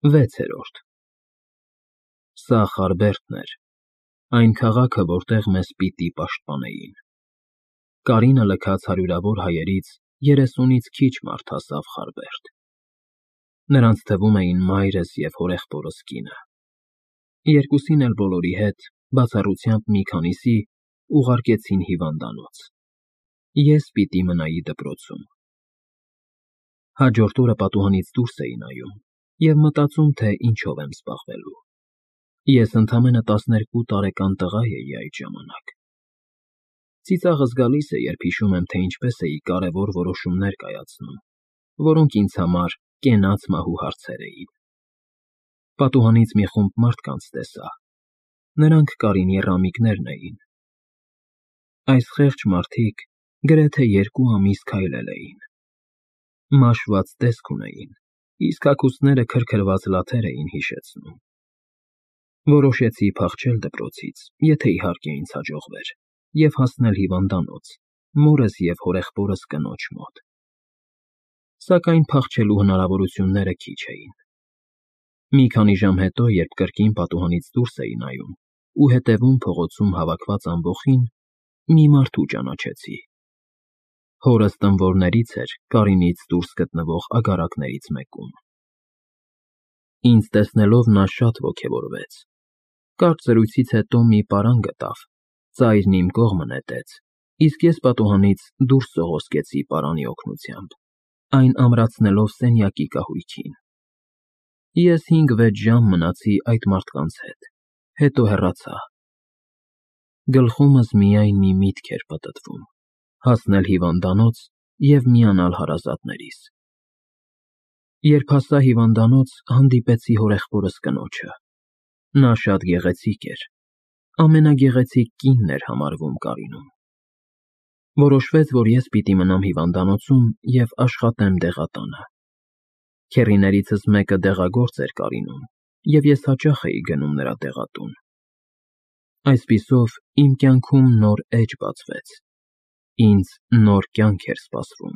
6-րդ Սա Խարբերդն էր, այն քաղաքը, որտեղ մեզ պիտի պաշտպանեին։ Կարինը լքած հարյուրավոր հայերից 30-ից քիչ մարդ հասավ Խարբերդ։ Նրանց թվում էին մայրս և հորեղբորս կինը։ Երկուսին էլ բոլորի հետ, բացառությամբ մի քանիսի, ուղարկեցին հիվանդանոց։ Ես պիտի մնայի դպրոցում։ Հաջորդ օրը պատուհանից դուրս էի նայում և մտածում, թե ինչով եմ զբաղվելու։ Ես ընդամենը 12 տարեկան տղա էի այդ ժամանակ։ Ծիծաղս գալիս է, երբ հիշում եմ, թե ինչպես էի կարևոր որոշումներ կայացնում, որոնք ինձ համար կենաց մահու հարցեր էին։ Պատուհանից մի խումբ մարդկանց տեսա։ Նրանք Կարինի ռամիկներն էին։ Այս խեղճ մարդիկ գրեթե 2 ամիս քայլել էին։ Մաշված տեսք ունեին, իսկ հագուստները քրքրված լաթեր էին հիշեցնում։ Որոշեցի փախչել դպրոցից, եթե իհարկե ինձ հաջողվեր, և հասնել հիվանդանոց, մորս և հորեղբորս կնոջ մոտ։ Սակայն փախչելու հնարավորությունները քիչ էին։ Մի քանի ժամ հետո, երբ կրկին պատուհանից դուրս էի նայում ու հետևում փողոցում հավաքված ամբոխին, մի մարդու ճանաչեցի։ Հորս տնվորներից էր Կարինից դուրս գտնվող ագարակներից մեկում։ Ինձ տեսնելով նա շատ ոգևորվեց։ Կարճ զրույցից հետո մի պարան գտավ, ծայրն իմ կողմը նետեց, իսկ ես պատուհանից դուրս սողոսկեցի պարանի օգնությամբ, այն ամրացնելով սենյակի կահույքին։ Ես 5-6 ժամ մնացի այդ մարդկանց հետ, հետո հեռացա։ Գլխումս միայն մի միտք էր պտտվում՝ հասնել հիվանդանոց և միանալ հարազատներիս։ Երբ հասա հիվանդանոց, հանդիպեցի հորեղբորս կնոջը։ Նա շատ գեղեցիկ էր, ամենագեղեցիկ կինն էր համարվում Կարինում։ Որոշվեց, որ ես պիտի մնամ հիվանդանոցում և աշխատեմ դեղատանը։ Քեռիներիցս մեկը դեղագործ էր Կարինում, և ես հաճախ էի գնում նրա դեղատուն։ Այսպիսով, իմ կյանքում նոր էջ բացվեց։ Ինձ նոր կյանք էր սպասվում։